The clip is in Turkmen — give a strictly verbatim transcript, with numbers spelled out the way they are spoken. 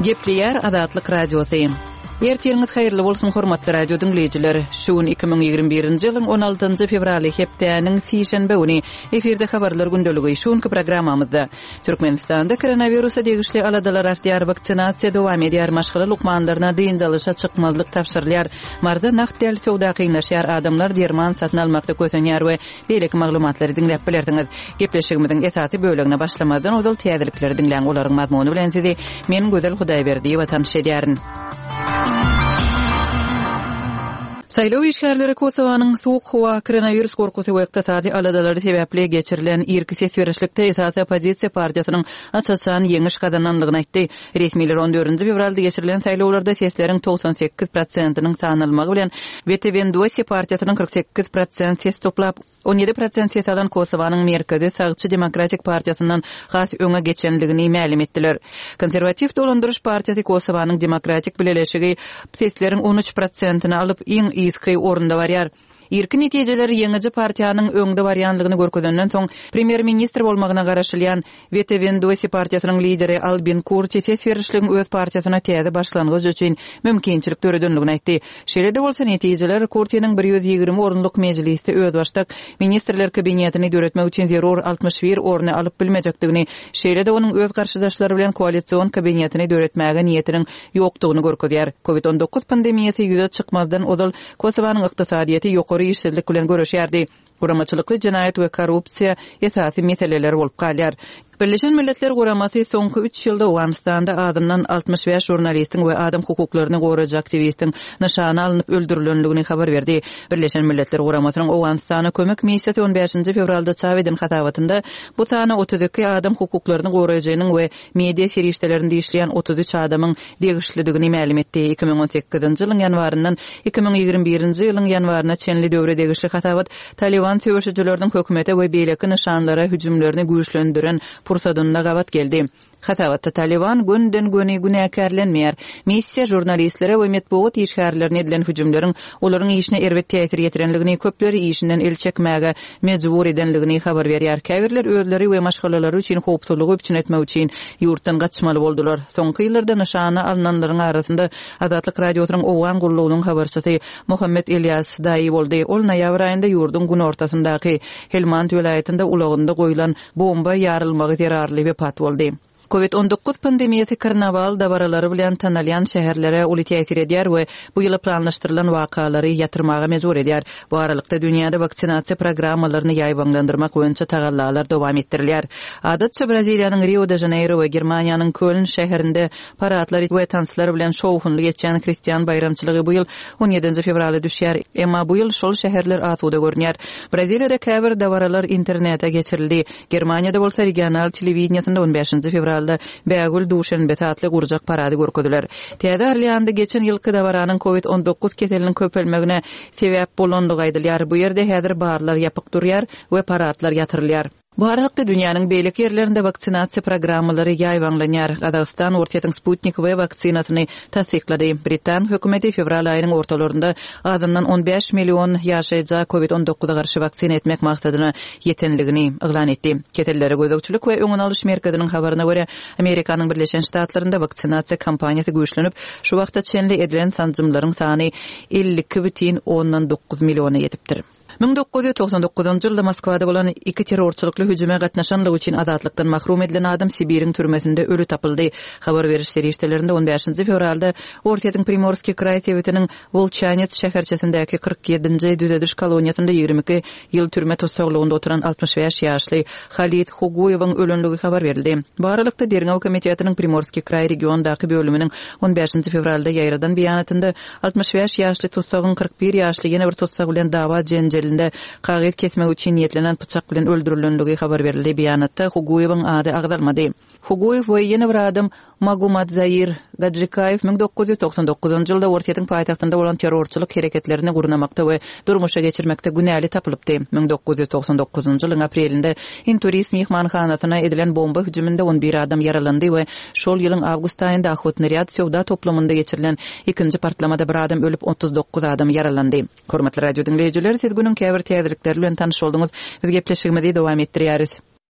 Gepleýär Azatlyk Radiosy. Ertiriňiz haýyrly bolsun hormatly radio diňleýjiler. Şu gün iki müň ýigrimi birinji ýylyň on altynjy fewraly hepdäniň sişenbe güni efirde habarlar gündeligi şu günki programmamyzda Türkmenistanda koronawirusa degişli aladalar artýar, waksinasiýa dowam edýär, maşgala lukmanlaryna dynç alyşa çykmazlyk tabşyrylýar, Maryda nagt däl söwda kynlaşýar, adamlar derman satyn almakda kösenýär we beýleki maglumatlary diňläp bilersiňiz. Gepleşigimiziň esasy bölegine başlamazdan ozal täzelikleri diňläň, olaryň mazmuny bilen sizi men Gözel Hudaýberdiýewa tanyş edýärin. Saýlaw işgärleri Kosowanyň sowuk howa, koronawirus gorkusy we ykdysady aladalary sebäpli geçirilen irki ses berişlikde esasy oppozisiýa partiýasynyň aç-açan ýeňiş gazanandygyny aýtdy. Resmiler on dördünji fewralda geçirilen saýlawlarda sesleriň togsan sekiz prosentiniň sanalmagy bilen Vetevendosje partiýasynyň kyrk sekiz prosent ses toplap, on ýedi prosent ses alan Kosowanyň Merkezi Sagçy Demokratik partiýasyndan has öňe geçendigini mälim etdiler. Konserwatiw dolandyryş partiýasy Kosowanyň Demokratik Bileleşigi sesleriň on üç prosentini alyp, iň yzky orunda barýar. Irki netijeler ýeňiji partiýanyň öňde barýanlygyny görkezenden soň, premýer-ministr bolmagyna garaşylýan Vetevendosje partiýasynyň lideri Albin Kurti ses berişligiň öz partiýasyna täze başlangyç üçin mümkinçilik döredenligini aýtdy. Şeýle-de bolsa, netijeler Kurtiniň bir ýüz ýigrimi orunlyk mejlisde özbaşdak ministrler kabinetini döretmek üçin zerur altmyş bir orny alyp bilmejekdigini, şeýle-de onuň öz garşydaşlary bilen koalision kabinetini döretmäge niýetiniň ýokdugyny görkezýär. Covid on dokuz pandemiýasy ýüze çykmazdan ozal Kosowanyň ykdysadyýeti ýokary işsizlik bilen göreşýärdi. Guramaçylykly jenaýat we korrupsiýa esasy meseleler bolup galýar. Birleşen Milletler Guramasy soňky üç ýylda Owganystanda azyndan altmyş bäş žurnalistiň we adam hukuklaryny goraýjy aktiwistiň nyşana alnyp öldürilendigini habar berdi. Birleşen Milletler Guramasynyň Owganystana kömek missiýasy on bäşinji fewralda çap eden hasabatynda bu sana otuz iki adam hukuklaryny goraýjynyň we media serişdelerinde işleýän otuz üç adamyň degişlidigini mälim etdi. Iki müň on sekizinji ýylyň ýanwaryndan iki müň ýigrimi birinji ýylyň ýanwaryna çenli döwre degişli hasabat Taliban söweşijileriniň hökümete we beýleki nyşanlara hüjümlerini güýçlendiren pursadynda gabat geldi. Hasabatda Taliban günden-göni günäkärlenmeýär. Missiýa žurnalistlere we metbugat işgärlerine edilen hüjümleriň olaryň işine erbet täsir ýetirenligini, köpleri işinden el çekmäge mejbur edenligini habar berýär. Käbirler özleri we maşgalalary üçin howpsuzlygy üpjün etmek üçin ýurtdan gaçmaly boldular. Soňky ýyllarda nyşana alynanlaryň arasynda Azatlyk Radiosynyň Owgan gullugynyň habarçysy Muhammet Elias Daýy boldy. Ol noýabr aýynda ýurduň günortasyndaky Helmand welaýatynda ulagynda goýlan bomba ýarylmagy zerarly wepat boldy. Covid on dokuz pandemiýasy karnawal dabaralary bilen tanalýan şäherlere uly täsir edýär we bu ýyla planlaşdyrylan wakalary ýatyrmaga mejbur edýär. Bu aralykda dünýäde waksinasiýa programmalaryny ýaýbaňlandyrmak boýunça tagallalar dowam etdirilýär. Adatça Braziliýanyň Rio de Janeiro we Germaniýanyň Köln şäherinde paradlar we tanslar bilen şowhunly geçýän hristian baýramçylygy bu ýyl on ýedinji fewralda düşýär. Emma bu ýyl şol şäherler asuda görünýär. Braziliýada käbir dabaralar internete geçirildi. Germaniýada bolsa regional telewideniýasynda on bäşinji fewralda Bägül Duşenbe atly gurjak parady görkeziler. Täze Orleanda geçen ýylky dabaranyň Covid on dokuz keseliniň köpelmegine sebäp bolandygy aýdylýar. Bu ýerde häzir barlar ýapyk durýar we paradlar ýatyrylýar. Bu aralykda dünýäniň beýleki ýerlerinde waksinasiýa programmalary ýaýbaňlanýar. Gazagystan Orsýetiň Sputnik V waksinasyny tassyklady. Britan hökümeti fewral aýynyň ortalarynda azyndan on bäş million ýaşaýjy Covid on dokuza garşy waksina etmek maksadyna ýetenligini yglan etdi. Kesellere gözegçilik we öňüni alyş merkeziniň habaryna görä, Amerikanyň Birleşen Ştatlarynda waksinasiýa kampaniýasy güýçlenip, şu wagta çenli edilen sanjymlaryň sany elli iki bütin ondan dokuz milliona ýetipdir. Müň dokuz ýüz togsan dokuzynjy ýylda Moskwada bolan iki terrorçylykly hüjüme gatnaşanlygy üçin azatlykdan mahrum edilen adam Sibiriň türmesinde ölü tapyldy. Habar beriş serişdelerinde on bäşinji fewralda Orsýetiň Primorskiý kraý sebitiniň Wolçanets şäherçesindäki kyrk ýedinji düzediş koloniýasynda ýigrimi iki ýyl türme tussaglygynda oturan altmyş bäş ýaşly Halid Huguýewiň ölenligi habar berildi. Bu aralykda Derňew komitetiniň Primorskiý kraý regiondaky bölüminiň on bäşinji fewralda ýaýradan beýanatynda altmyş bäş ýaşly tussagyň kyrk bir ýaşly ýene bir tussag bilen dawa jenjelinde kagyz kesmek üçin niýetlenen pyçak bilen öldürilenligi habar berildi. Beýanatda Huguýewiň ady agzalmady. Huguýew we ýene bir adam Magumadzair Gajikaýew müň dokuz ýüz togsan dokuzynjy ýylda Orsýetiň paýtagtynda bolan terrorçylyk hereketlerini gurnamakda we durmuşa geçirmekde günäli tapylypdy. Müň dokuz ýüz togsan dokuzynjy ýylyň aprelinde Inturist mehmanhanasyna edilen bomba hüjüminde on bir adam ýaralandy we şol ýylyň awgust aýynda Ahotnyryad söwda toplumynda geçirilen ikinji partlamada bir adam ölüp otuz dokuz adam ýaralandy. Hormatly radio diňleýjiler, siz günüň käbir täzelikleri bilen tanyş bolduňyz. Biz gepleşigimizi dowam etdirýäris.